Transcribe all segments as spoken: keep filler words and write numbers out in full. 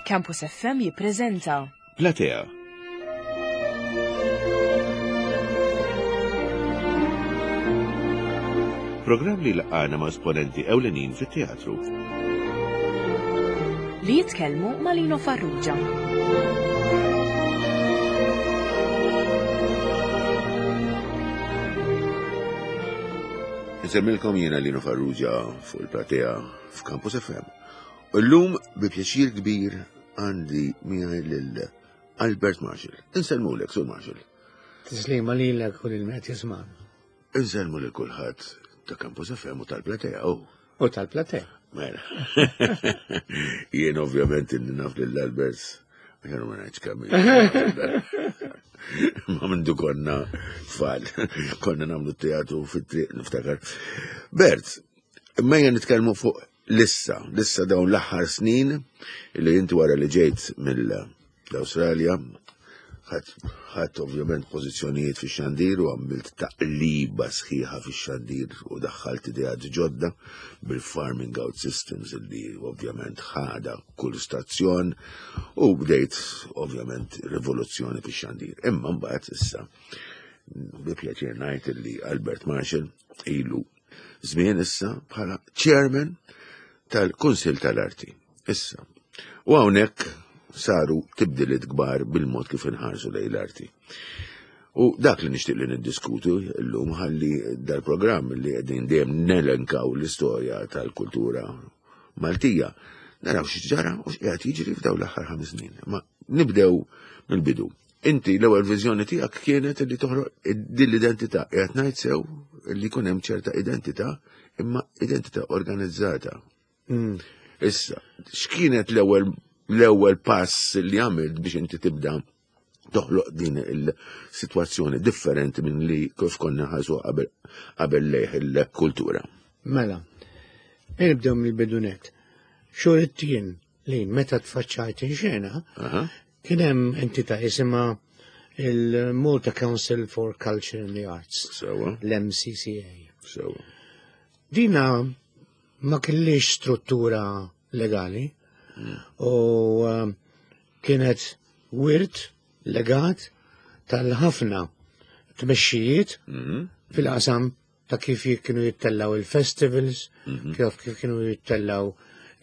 Campus F M jippreżenta Platea. Programm li laqana ma' esponenti ewlenin fit-teatru. Li jitkellmu ma' Lino Farrugia. Insemmilkom jiena Lino Farrugia fuq il-Platea f'Campus F M. U llum bi pjaċir kbir għandi miegħi lil Albert Marshall. Insellmulek, Sur Marshall. Tislima lilek u lil min jisma'. Insellmu lil kulħadd ta' Campus F M u tal-Platea. Oh. U tal-Platea. Mela. Jien ovvjament inni naf lil Albert, għax ma ngħidx kemm. Ma mindu konna tfal, konna nagħmlu teatru fit-triq, niftakar. Bert, imma nitkellmu fuq lissa, lissa dawn l-aħħar snin li inti wara li ġejt mill-Awstralja, ħadt ovvjament pożizzjonijiet fi xandir u għamilt taqliba sħiħa fi xandir u daħħalt ideat ġodda bil-farming out systems li ovvjament ħada kull stazzjon u bdejt ovvjament rivoluzzjoni fi xandir. Imma mbagħad issa bi pjaċir ngħid li Albert Marshall ilu żmien issa bħala chairman tal-Kunsill tal-Arti. Issa, u hawnhekk saru tibdiliet kbar bil-mod kif inħarsu lejn l-arti. U dak li nixtieq li niddiskutu llum, ħalli dal-programm li qegħdin dejjem nelenkaw l-istorja tal-kultura Maltija, naraw x'ġara u x'qiegħed jiġri f'dawn l-aħħar ħames snin. Ma nibdew mill-bidu. Inti l-ewwel viżjoni tiegħek kienet li toħroq din l-identità. Qiegħed ngħid sew li jkun hemm ċerta identità, imma identità organizzata? Mm. Issa, x'kienet l-ewwel l-ewwel pass li għamilt biex inti tibda toħloq din il-sitwazzjoni differenti minn li kif konna ħasu qabel qabel lejh il-kultura? Mela, nibdew mill-bidunet. Xhur it-tien li meta tfaċċajt in-xena, Aha. kien hemm entità jisimha il-Malta Council for Culture and the Arts, Sewa, l-M C C A. sewa. Dina ma kellix struttura legali u um, kienet wirt legat tal-ħafna tmexxijiet Mhm. fil-qasam ta' kif kienu jittellaw il-festivals, kif kif kienu jittellaw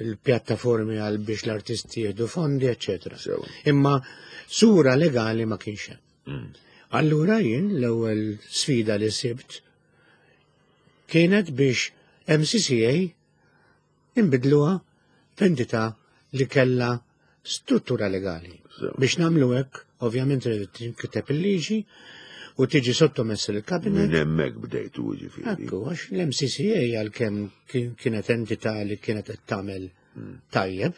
il-pjattaformi għal biex l-artisti jieħdu fondi, eccetera. Sewa. Imma sura legali ma kienx hemm. Mm. Allura jien l-ewwel sfida li sibt kienet biex M C C A imbidluha f'entità li kella struttura legali. Sewa. Biex nagħmlu hekk, ovvjament irid tinkiteb il-liġi u tiġi sottomessa lill-kabinet. Minn hemmhekk bdejtu, ġifieri. Ekku, għax l-M C C A għalkemm kien- kienet entità li kienet qed tagħmel tajjeb,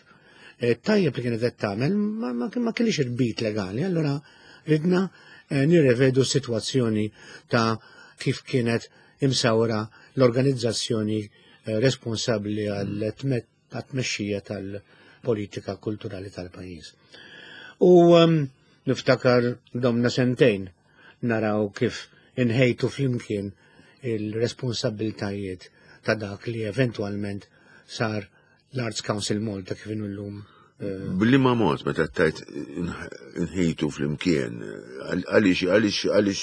eh, tajjeb li kienet qed tagħmel ma, ma, ma kellix irbit legali, allura ridna eh, nirrevedu sitwazzjoni ta' kif kienet imsawra l-organizzazzjoni eh, responsabbli għal tmexxija tal-politika kulturali tal-pajjiż. U um, niftakar domna sentejn naraw kif inħejtu flimkien il-responsabiltajiet ta' dak li eventualment sar l-Arts Council Malta kif inhu llum. eh, B'liema mod meta tajt nħejtu flimkien, għaliex għaliex għaliex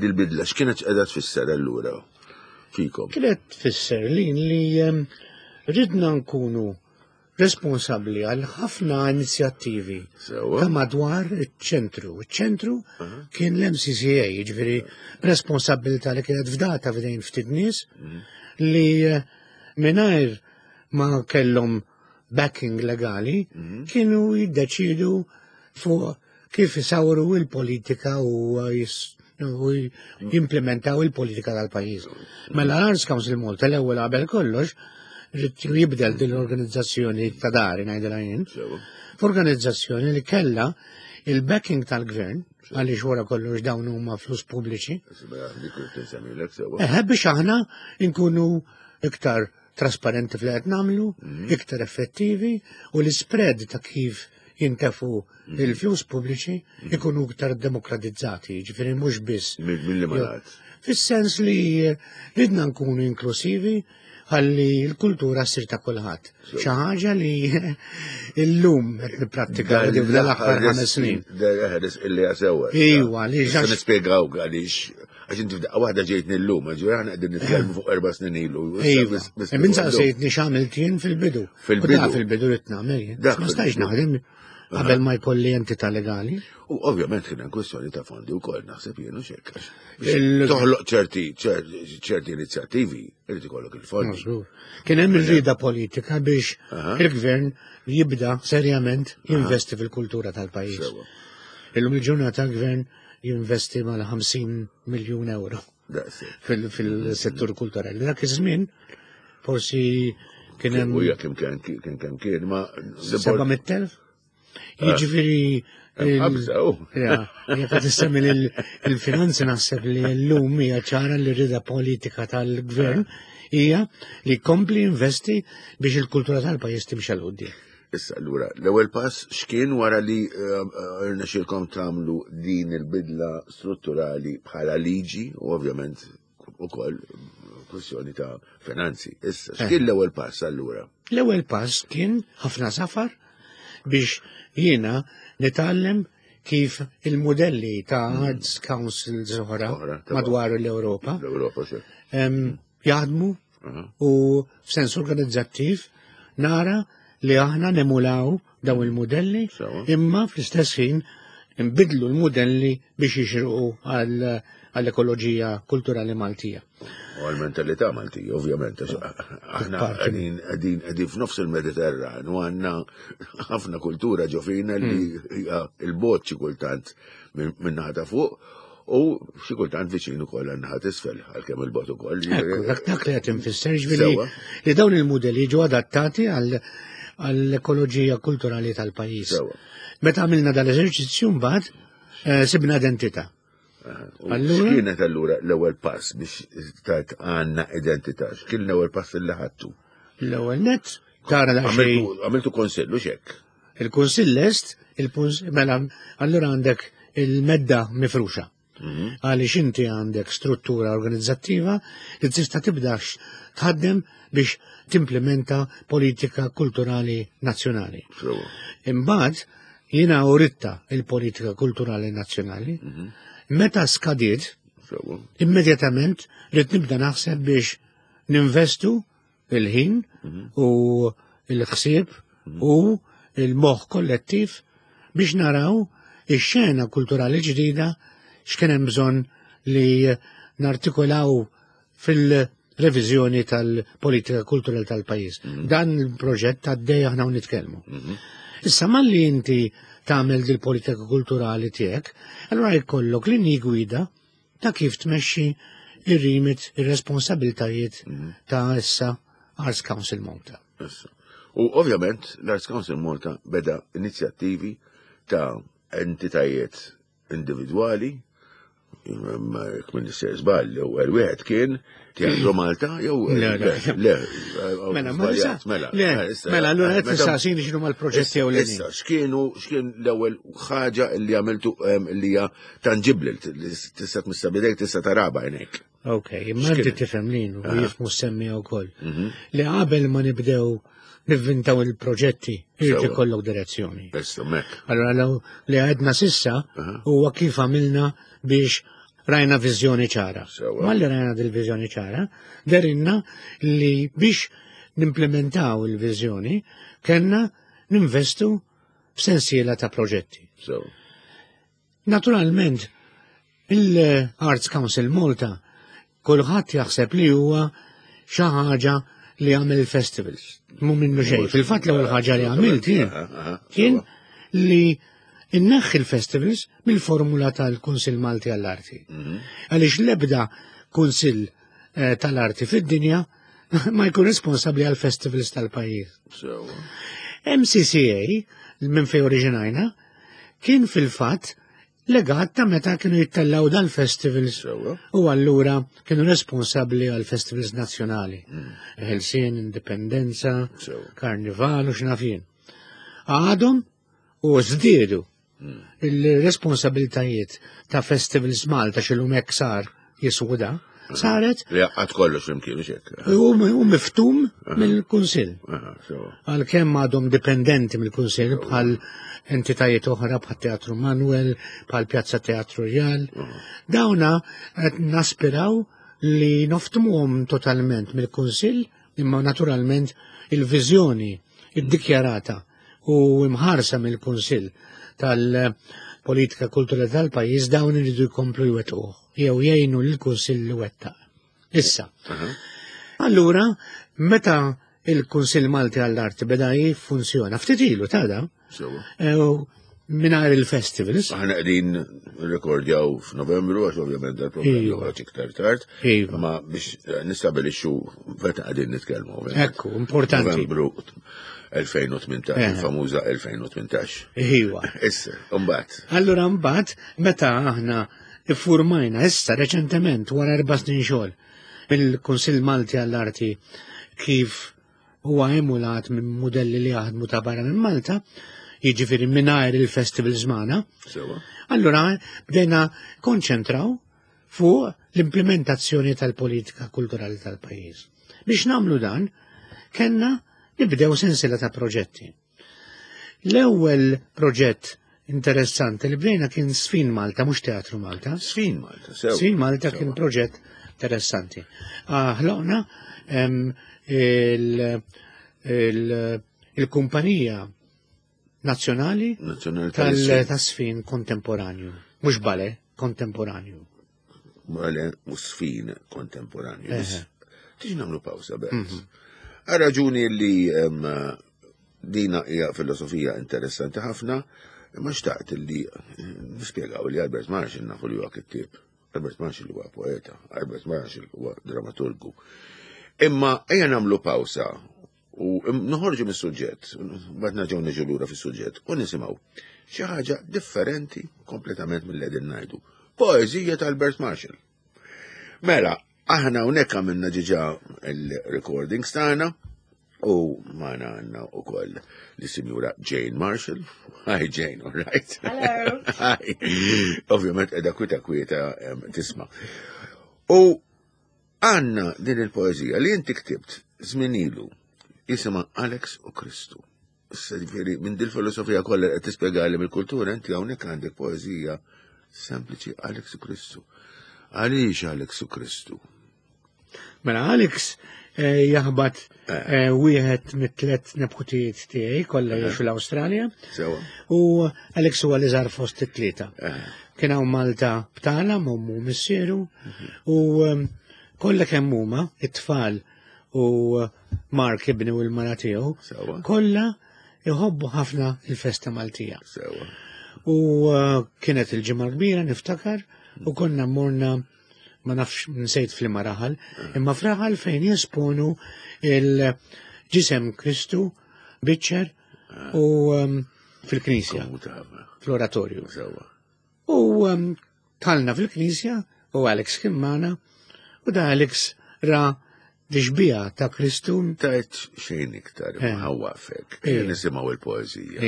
dil-bidla, x'kienet qiegħda tfisser allura fikom? Kienet tfisser li li em, ridna nkunu responsabli għal ħafna inizjattivi Sewa. ta' madwar iċ-ċentru. Iċ-ċentru kien l-M C C A, ġifieri responsabilità li kienet fdata f'idejn ftit nies li eh, mingħajr ma kellhom backing legali kienu jiddeċidu fuq kif isawru il-politika u jis- u jimplementaw il-politika tal-pajjiż. Mela l-Arts Council Malta l-ewwel qabel kollox ried jibdel din l-organizzazzjoni ta' dari, ngħidilha jien, Sewa. f'organizzazzjoni li kella il-backing tal-gvern, għaliex wara kollox dawn huma flus pubbliċi, Dik li tinsemmilek, sewa. Eħe, biex aħna nkunu iktar trasparenti fl qed nagħmlu, iktar effettivi u l-spread ta' kif jintefu il-flus pubbliċi ikunu iktar demokratizzati, ġifieri mhux biss. Mill-li malat. Fis-sens li ridna nkunu inklusivi. ħalli l-kultura ssir ta' kulħadd. Xi ħaġa li llum qed nipprattika l-aħħar ħames snin. Ħares illi għasewa. Iwa, li ġax. Nispjegaw għaliex għax inti f'daqqa waħda ġejtni llum, ġifieri aħna qegħdin nitkellmu fuq erba' snin ilu. Iva. Min saqsejtni x'għamilt jien fil-bidu. Fil-bidu. Fil-bidu rid nagħmel jien. Ma stajx naħdem qabel ma jkolli entità legali. U ovvjament kien hemm kwestjoni ta' fondi wkoll naħseb jien u xekk. Toħloq ċerti ċerti inizjattivi irid ikollok il-fondi. Kien hemm ir-rieda politika biex il-gvern jibda serjament jinvesti fil-kultura tal-pajjiż. Illum il-ġurnata l-gvern jinvesti mal-ħamsin miljun euro fil-settur kulturali. Dak iż-żmien forsi kien hemm. U jekk kien kien kien kien ma seba' mitt elf? Jiġifieri jekk qed issemmi il-finanzi naħseb li llum hija ċara li rida politika tal-gvern hija li jkompli investi biex il-kultura tal-pajjiż timxi 'l quddiem. Issa allura, l-ewwel pass x'kien wara li rnexxielkom tagħmlu din il-bidla strutturali bħala liġi u ovvjament ukoll kwestjoni ta' finanzi. Issa, x'kien l-ewwel pass allura? L-ewwel pass kien ħafna safar biex jiena nitgħallem kif il-modelli ta' Arts Councils oħra madwar l-Ewropa jaħdmu u f'sens organizzattiv nara li aħna nemulaw daw il-modelli imma fl-istess ħin nbidlu l-modelli biex jixirqu għall-ekoloġija kulturali Maltija. U għal-mentalità Maltija, ovvjament. Aħna qegħdin qegħdin f'nofs il-Mediterran u għandna ħafna kultura ġo fina li hija il-bot xi kultant minn naħa ta' fuq u xi kultant viċin ukoll għan-naħa t'isfel għalkemm il-bot ukoll. Dak dak li qed infisser ġifieri li dawn il-modelli ġew adattati għall-ekoloġija kulturali tal-pajjiż. Meta għamilna dal-eżerċizzju mbagħad sibna identità. X'kienet allura l-ewwel pass biex tajt għandna identità? X'kien l-ewwel pass li ħadtu? L-ewwel nett tara daqsxejn. Għamiltu kunsill u x'hekk? Il-kunsill lest, mela allura għandek il-medda mifruxa. Għaliex inti għandek struttura organizzattiva li tista' tibdax tħaddem biex timplementa politika kulturali nazzjonali. Imbagħad jiena uritta il-politika kulturali nazzjonali. Meta skadiet, immedjatament rrid nibda naħseb biex ninvestu il-ħin u il-ħsieb u il-moħħ kollettiv biex naraw ix-xena kulturali ġdida x'kien hemm bżonn li nartikolaw fil-reviżjoni tal-politika kulturali tal-pajjiż. Dan il-proġett għaddej aħna u nitkellmu. Issa malli inti tagħmel dil-politika kulturali tiegħek, allura jkollok linji gwida ta' kif tmexxi ir-rimit, ir-responsabiltajiet ta' issa Arts Council Malta. U ovvjament l-Arts Council Malta beda inizjattivi ta' entitajiet individwali, jekk minn nisser żball, l-ewwel wieħed kien Teatru Malta jew Le, le. Mela, mela, mela, allura qed tistaqsini x'inhu mal-proġetti ewlenin. Issa, x'kienu x'kien l-ewwel ħaġa li għamiltu li hija tanġibbli li tista' tmissa bidejk tista' tara b'għajnejk. Ok, imma inti tifhem lin u jifhmu semmija wkoll. Li qabel ma nibdew nivvintaw il-proġetti, irid ikollok direzzjoni. Allora li għedna sissa huwa kif għamilna biex rajna viżjoni ċara. Malli rajna dil-viżjoni ċara, derinna li biex nimplementaw il-viżjoni kellna ninvestu f'sensiela ta' proġetti. Naturalment, il-Arts Council Malta kulħadd jaħseb li huwa xi ħaġa li għamel il-festivals. Mu minnu xejn. Fil-fatt l-ewwel ħaġa li għamilt kien li inneħħi l-festivals mill-formula tal-Kunsill Malti għall-Arti. Għaliex l-ebda Kunsill tal-Arti fid-dinja ma jkun responsabbli għall-festivals tal-pajjiż. M C C A, minn fejn oriġinajna, kien fil-fatt legat ta' meta kienu jittellaw dal-festivals u allura kienu responsabbli għal-festivals nazzjonali. Ħelsien, Indipendenza, Karnival u x'naf jien. Għadhom u żdiedu il-responsabiltajiet ta' Festivals Malta x'illum hekk sar jiswuda, saret. Li għad kollox flimkien, mhux hekk. U miftum mill-Kunsill. Għalkemm għadhom dipendenti mill-Kunsill bħal entitajiet oħra bħal Teatru Manuel, bħal Pjazza Teatru Rjal. Dawna qed naspiraw li noftmuhom totalment mill-Kunsill, imma naturalment il-viżjoni iddikjarata u imħarsa mill-Kunsill tal-politika kulturali tal-pajjiż dawn iridu jkomplu jwettquh jew jgħinu lill-Kunsill li wettaq. Issa. Allura, meta il-Kunsill Malti għall-Arti beda jiffunzjona, ftit ilu tada, mingħajr il-festivals. Aħna qegħdin nirrekordjaw f'Novembru għax ovvjament dal-programm joħroġ iktar tard, ma biex nistabilixxu meta qegħdin nitkellmu. Ekku, importanti. Novembru elfejn u tmintax, il-famuża elfejn u tmintax. Iwa. Issa, mbagħad. Allura mbagħad meta aħna iffurmajna issa reċentement wara erba' snin xogħol mill-Kunsill Malti għall-Arti kif huwa emulat minn mudelli li jaħdmu ta' barra minn Malta, jiġifieri mingħajr il-festivals magħna. Allura bdejna konċentraw fuq l-implementazzjoni tal-politika kulturali tal-pajjiż. Biex nagħmlu dan, kellna nibdew sensiela ta' proġetti. L-ewwel proġett interessanti li bdejna kien Sfin Malta, mhux Teatru Malta. Sfin Malta, sew. Sfin Malta kien proġett interessanti. Ħloqna il-kumpanija nazzjonali tal-sfin kontemporanju. Mhux bale, kontemporanju. Bale u sfin kontemporanju. Tiġi nagħmlu pawsa, Bert. Għal raġuni li dina hija filosofija interessanti ħafna, imma xtaqt li nispjegaw li Albert Marshall nafu li huwa kittieb, Albert Marshall huwa poeta, Albert Marshall huwa dramaturgu. Imma ejja nagħmlu pawsa u noħorġu mis-suġġett, mbagħad nerġgħu niġu lura fis-suġġett u nisimgħu xi ħaġa differenti kompletament mill-li qegħdin ngħidu. Poeżija ta' Albert Marshall. Mela, aħna hawnhekk għamilna ġiġa il-recordings tagħna u magħna għandna wkoll lis-Sinjura Jane Marshall. Hi Jane, all right? Hello. Hi. Ovvjament qiegħda kwieta kwieta tisma'. U għandna din il-poeżija li inti ktibt żmien ilu jisimha Alex u Kristu. Issa ġifieri minn dil-filosofija kollha qed tispjegali mill-kultura, inti hawnhekk għandek poeżija sempliċi Alex u Kristu. Għaliex Alex u Kristu? Mela Alex jaħbat wieħed mit-tliet neputijiet tiegħi kollha jgħixu l-Awstralja. U Alex huwa l-iżgħar fost it-tlieta. Kien hawn Malta btala m'ommu missieru u kollha kemm huma it-tfal u Mark ibni u l-mara tiegħu kollha jħobbu ħafna il-festa Maltija. U kienet il-ġimgħa kbira niftakar u konna morna ma nafx nsejt f'liema raħal, imma f'raħal fejn jesponu il-ġisem Kristu biċċer u fil-knisja, fl-oratorju. U talna fil-knisja u Alex kien magħna u da Alex ra dixbija ta' Kristu. Tajt xejn iktar, ħawafek, nisimgħu il-poeżija.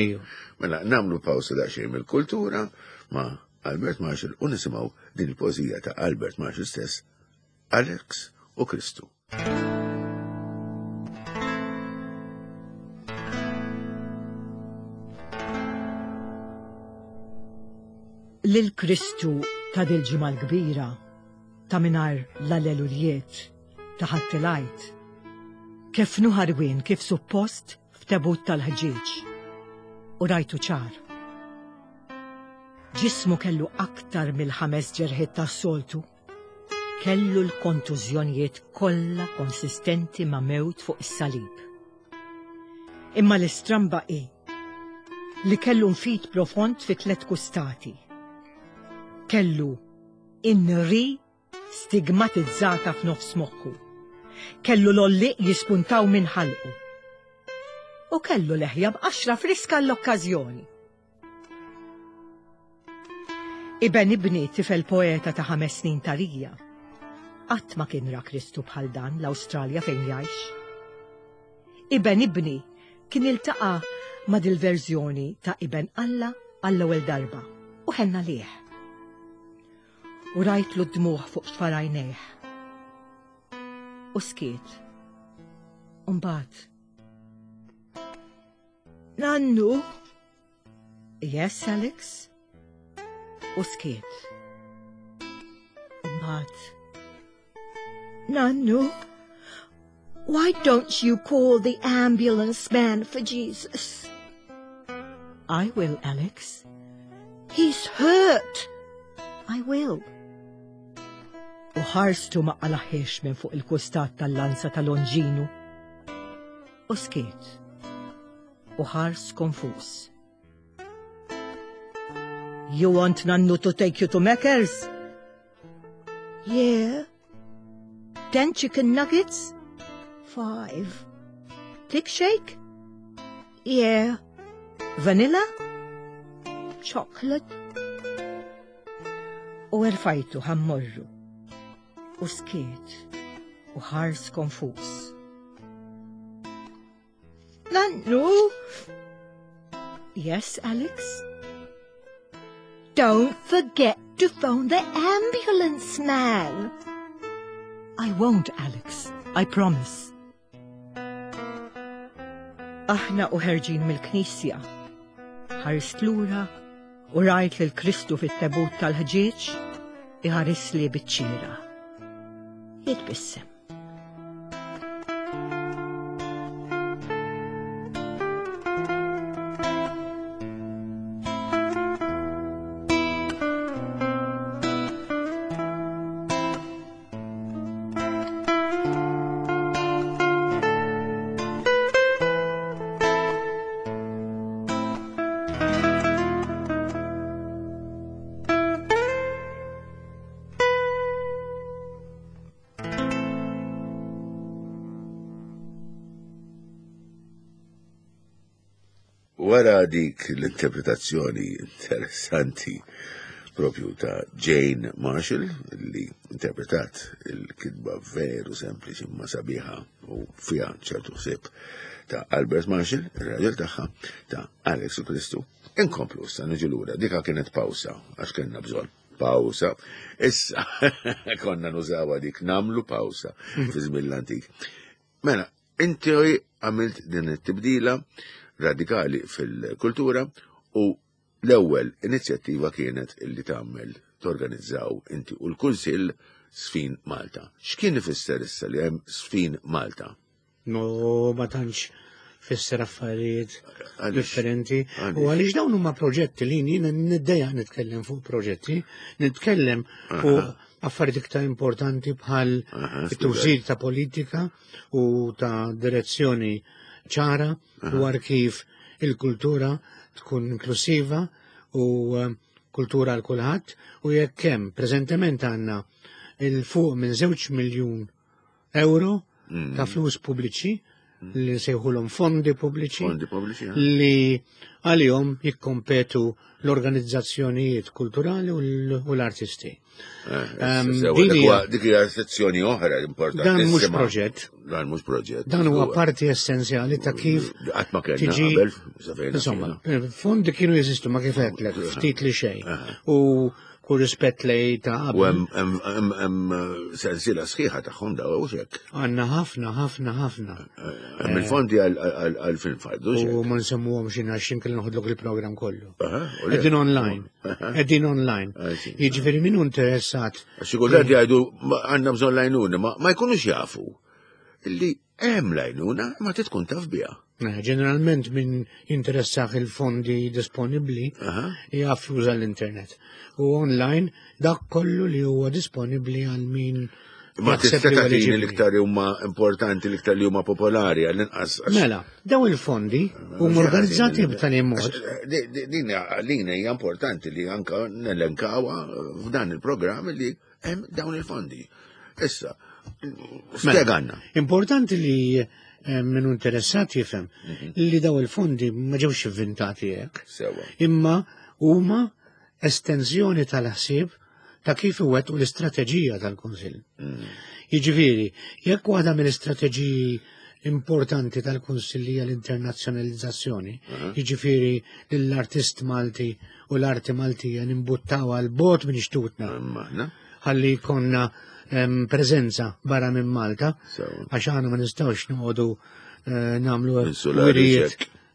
Mela nagħmlu pawsa daqsxejn mill-kultura ma' Albert Marshall u nisimgħu din il-poeżija ta' Albert Marshall stess, Alex u Kristu. Lil Kristu ta' dil-ġimgħa l-kbira, ta' mingħajr l-allelujiet, ta' ħadd il-Għid. Kif nuħarwien kif suppost f'tebut tal-ħġieġ. U rajtu ċar. Ġismu kellu aktar mill-ħames ġerħiet tas-soltu. Kellu l-kontużjonijiet kollha konsistenti ma' mewt fuq is-salib. Imma l-istramba hi li kellu nfid profond fi tliet kustati. Kellu inri stigmatizzata f'nofs moħħu. Kellu l-olliq jispuntaw minn ħalqu. U kellu leħja b'qaxra friska l-okkażjoni. Iben ibni tifel poeta ta' ħames snin tarija. Qatt ma kien ra Kristu bħal dan l-Awstralja fejn jgħix. Iben ibni kien iltaqa' ma' dil-verżjoni ta' Iben Alla għall-ewwel darba u ħenna lih. U rajtlu d-dmuħ fuq xfarajnejh. U skiet. Umbagħad. Nannu? Yes, Alex? U skiet. Umbagħad. Nannu? Why don't you call the ambulance man for Jesus? I will, Alex. He's hurt. I will. U ħarstu ma qalaħiex minn fuq il-kustat tal-lanza tal-Lonġinu. U skiet. U ħars konfus. You want Nannu to take you to Macca's? Yeah. Ten chicken nuggets? Five. Thick shake? Yeah. Vanilla? Chocolate? U erfajtu ħa mmorru. U skiet. U ħars konfus. Nannu? Yes, Alex? Don't forget to phone the ambulance man. I won't, Alex. I promise. Aħna u ħerġin mill-knisja. Ħarist lura u rajt lil Kristu fit-tebut tal-ħġieġ iħarisli biċ-ċira. Jitbissem. Wara dik l-interpretazzjoni interessanti propju ta' Jane Marshall, li interpretat il-kitba veru sempliċi ma sabiħa u fija ċertu ħsieb ta' Albert Marshall, il-raġel tagħha, ta' Alex u Kristu. Inkomplu issa niġu lura, dika kienet pawsa, għax kellna bżonn pawsa. Issa konna nużawha dik namlu pawsa fi żmien l-antik. Mela, inti għamilt din it-tibdila radikali fil-kultura u l-ewwel inizjattiva kienet illi tagħmel torganizzaw inti u l-Kunsill Sfin Malta. X'kien ifisser issa li hemm Sfin Malta? No, ma tantx fisser affarijiet Għaliex? differenti. Għaliex? U għaliex dawn huma proġetti li jiena niddejjaq nitkellem fuq proġetti, nitkellem fuq affarijiet iktar importanti bħal Aha, it-tużil ta' politika u ta' direzzjoni ċara dwar kif il-kultura tkun inklusiva u eh, kultura għal kulħadd u jekk hemm preżentement għandna il fuq minn żewġ miljun euro ta' flus pubbliċi li nsejħulhom fondi pubbliċi Fondi pubbliċi, eh? li għalihom jikkompetu l-organizzazzjonijiet kulturali u l- u l-artisti. Eh, Ehm, sewa, din dik hija- huwa- Dik hija sezzjoni oħra importanti. Dan mhux proġett. Dan mhux proġett. Dan huwa parti essenzjali ta' kif Qatt ma kellna tiġi- qabel, sa fejna Insomma, kienu. fondi kienu jeżistu ma kif għedtlek, ftit li xejn. U kull rispett lej ta' U qabel. hemm hemm hemm hemm eh, sensiela sħiħa tagħhom daw u xek. Għanna ħafna, ħafna, ħafna. Hemm il-fondi għal film fardu U ma nsemmuhom xi għax inkella noħodlok il-programm kollu. Aha, u le. Qegħdin online. Qegħdin online. I see. Jiġifieri min hu interessat Għax kultant jgħidu "Ma għandna bżonn lajnuna, ma ma jkunux jafu illi hemm lajnuna ma tkun taf biha. Eh, Ġeneralment min jinteressax il-fondi disponibli Aha. jaf juża l-internet. U online dak kollu li huwa disponibli għal min Ma jaħseb tista' li huwa tagħtini eliġibbli. l-iktar li huma importanti, l-iktar li huma popolari għall-inqas. għax- Mela, daw il-fondi huma organizzati b'tali mod. Għax, eh, di- di- Din għalina hija importanti li anka nelenkawha f'dan il-programm li hemm dawn il-fondi. Issa, spjeganna. Importanti li eh, min hu interessat jifhem Mhm. li daw il-fondi ma ġewx inventati hekk. Sewa. Imma huma estensjoni tal-ħsieb ta' kif iwettqu l-istrateġija tal-Kunsill. Jiġifieri, jekk waħda mill-istrateġiji importanti tal-Kunsill hija l-internazzjonalizzazzjoni, jiġifieri lill-artist Malti u l-arti Maltija nimbuttaw għal bot minn xtutna Maħna. ħalli jkollna preżenza barra minn Malta, għax aħna ma nistgħux noqogħdu nagħmlu wirijiet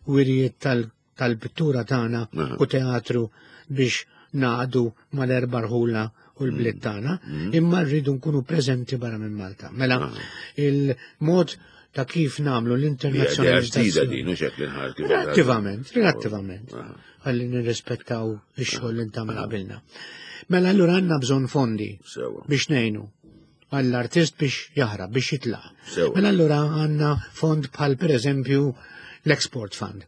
wirijiet tal-pittura tagħna u teatru biex naqdu mal-erba' rħula u l-bliet tagħna, imma rridu nkunu preżenti barra minn Malta. Mela il-mod ta' kif nagħmlu l-internazzjonalizzazzjoni. Relattivament, relattivament. Ħalli nirrispettaw ix-xogħol li ntagħmel qabilna. Mela allura għandna bżonn fondi biex ngħinu għall-artist biex jaħrab, biex jitlaq. Mela allura għandna fond bħal pereżempju l-Export Fund.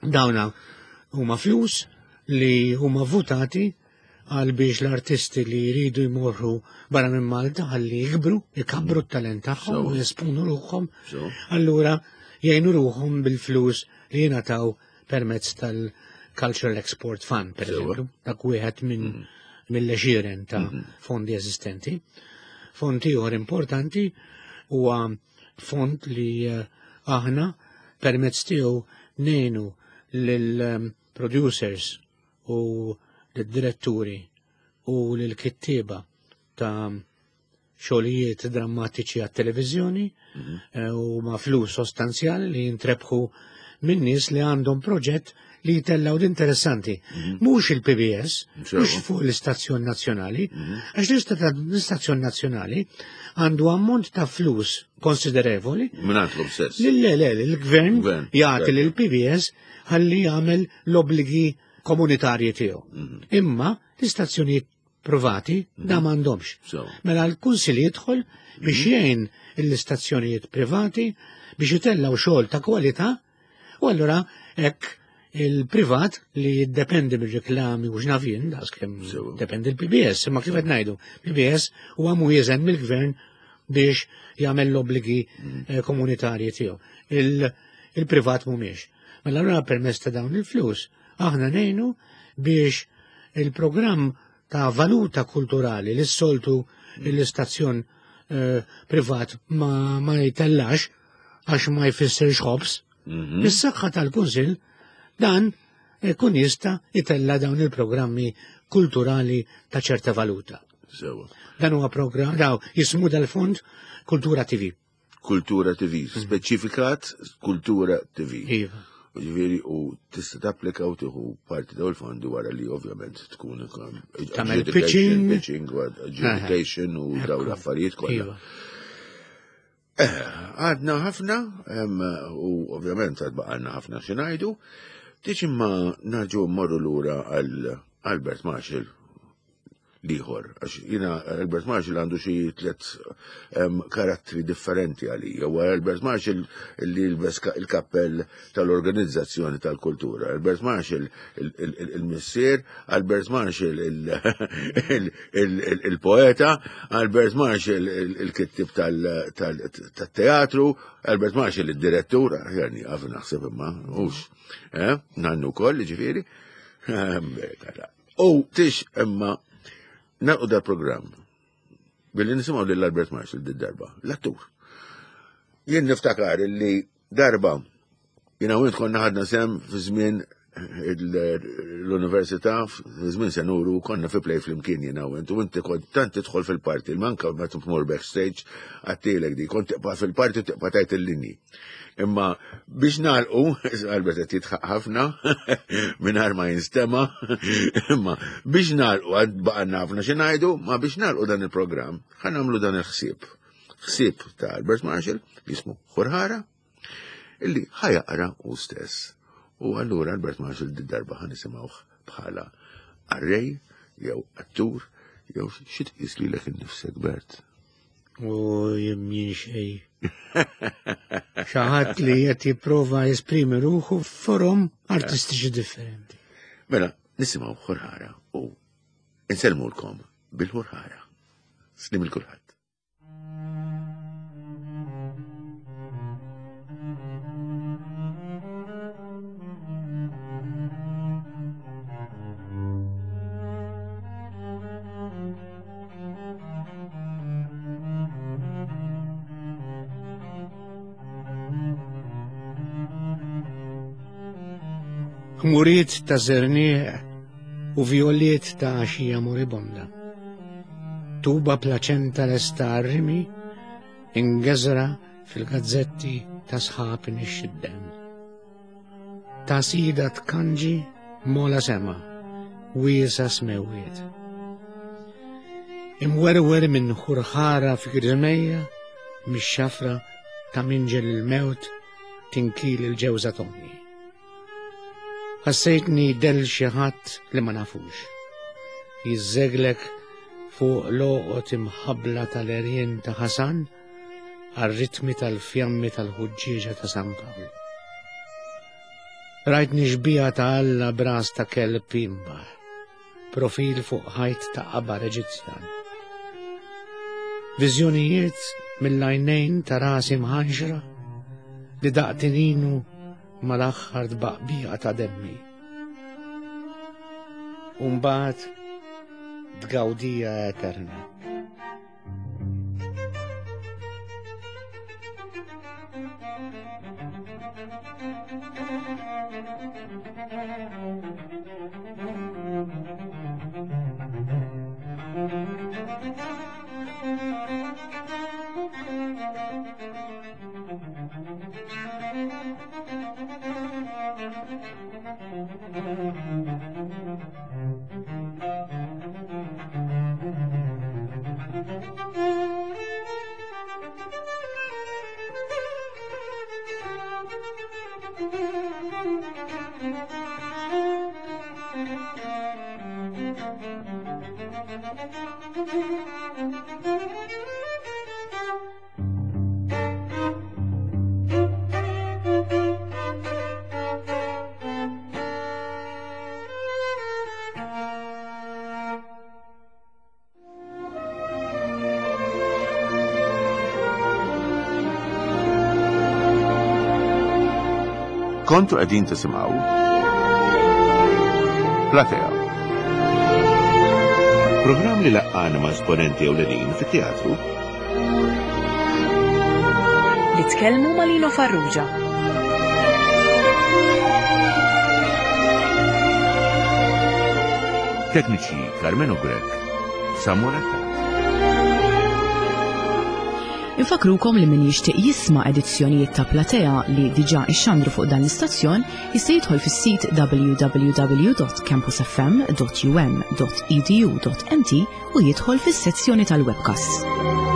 Dawna huma flus li huma votati għal biex l-artisti li jridu jmorru barra minn Malta ħalli jikbru, jkabbru t-talent tagħhom u jesponu ruħhom. Allura jgħinu ruħhom bil-flus li jingħataw permezz tal-Cultural Export Fund, per eżempju, dak wieħed minn mill-għexieren ta' fondi eżistenti. Fond ieħor importanti huwa fond li aħna permezz tiegħu ngħinu lill-producers u lill-diretturi u lill-kittieba ta' xogħlijiet drammatiċi għat-televiżjoni u ma' flus sostanzjali li jintrebħu minn nies li għandhom proġett li jitellaw l-interessanti. Mhux il-P B S, mhux fuq l-istazzjon nazzjonali, għax l-istazzjon nazzjonali għandu ammont ta' flus konsiderevoli. Mingħandhom stess. Le, le, l-gvern jagħti lill-P B S ħalli jagħmel l-obbligi komunitarji tiegħu. Imma l-istazzjonijiet privati da m'għandhomx. Mela l-Kunsill jidħol biex jgħin l-istazzjonijiet privati biex jitellaw xogħol ta' kwalità, u allura hekk il-privat li jiddependi mir-reklami u x'nafien, daqskemm dependi l-P B S, imma kif qed ngħidu, P B S huwa mwieżen mill-gvern biex jagħmel l-obbligi komunitarji tiegħu. Il-privat mhumiex. Mela allura permezz ta' dawn il-flus aħna ngħinu biex il-programm ta' valuta kulturali li s-soltu l-istazzjon privat ma, ma jitellax għax ma jfissirx ħobs, is-saħħa tal-Kunsill dan ikun jista' jitella dawn il-programmi kulturali ta' ċerta valuta. Sewa. Dan huwa programm, daw jismu dal-fond Kultura T V. Kultura T V, speċifikat Kultura T V. Iva. Ġifieri u tista' tapplika u tieħu parti dawn il-fondi wara li ovvjament tkun tagħmel pitching, pitching u adjudication u dawn l-affarijiet kollha. Għadna ħafna u ovvjament għad baqalna ħafna xi ngħidu. Tix imma narġu mmorru lura għal Albert Marshall liħor, għax jina Albert Marshall għandu xi tliet karattri differenti għalija. Huwa Albert Marshall li jilbes il-kappell tal-organizzazzjoni tal-kultura, Albert Marshall il-missier, Albert Marshall il-poeta, Albert Marshall il-kittib tal-teatru, Albert Marshall il-direttur, jani għaf naħseb imma, hux, nannu koll, ġifieri. U tix imma nalqu dal programm billi nisimgħu lil Albert Marshall did-darba, l-attur. Jien niftakar li darba jiena u int konna ħadna sem fi żmien l-università, fi żmien se nuru, konna fi play flimkien jiena u int, u inti kont tant tidħol fil-parti, il-manka meta tmur backstage għattilek di, kont tibqa' fil-parti u tibqa' tajt il-linji. Imma biex nagħlqu, Albert qed jitħaq ħafna mingħajr ma jinstema', imma biex nagħlqu għad baqgħna ħafna xi ngħidu, ma biex nagħlqu dan il-programm, ħa nagħmlu dan il-ħsieb. Ħsieb ta' Albert Marshall jismu Ħurħara, illi ħajaqra hu stess. U allura Albert Marshall did-darba ħa nisimgħuh bħala qarrej jew attur jew xi tqis lilek innifsek, Bert. U jien xejn. Xi ħadd li qed jipprova jesprimi ruħu f'forom artistiċi differenti. Mela, nisimgħu Ħurħara u insellmulkom bil-Ħurħara. Slim il kulħadd. Ħmuriet ta' żerniq u violiet ta' għaxija moribonda. Tuba plaċenta lesta rimi ingeżra fil-gazzetti ta' sħab nixxiddem. Ta' sida tkanġi mola sema, wiesa smewiet. Imwerwer minn ħurħara fi griżmejja, mix-xafra ta' minġel il-mewt tinkil il-ġewża tommi. Ħassejtni del xi ħadd li ma nafux. Jiżżeglek fuq loqot imħabbla tal-erjen ta' Ħasan għar-ritmi tal-fjammi tal-ħuġġieġa ta' San Pawl. Rajtni xbieha ta' Alla b'ras ta' kelb imbaħ, profil fuq ħajt ta' qabar Eġizzjan. Viżjonijiet mill-għajnejn ta' rasi mħanxra li daqtininu mal-aħħar tbaqbija ta' demmi. U mbagħad tgawdija eterna. Kontu qegħdin tisimgħu Platea. Programm li laqqana ma' esponenti ewlenin fit-teatru. Li tkellmu ma' Lino Farrugia. Tekniċi Carmelo Grech, Samuel Attard. Infakrukom li min jixtieq jisma' edizzjonijiet ta' Platea li diġà ixxandru fuq dan l-istazzjon jista' jidħol fis-sit w w w dot campus f m dot u m dot e d u dot m t u jidħol fis-sezzjoni tal-webcast.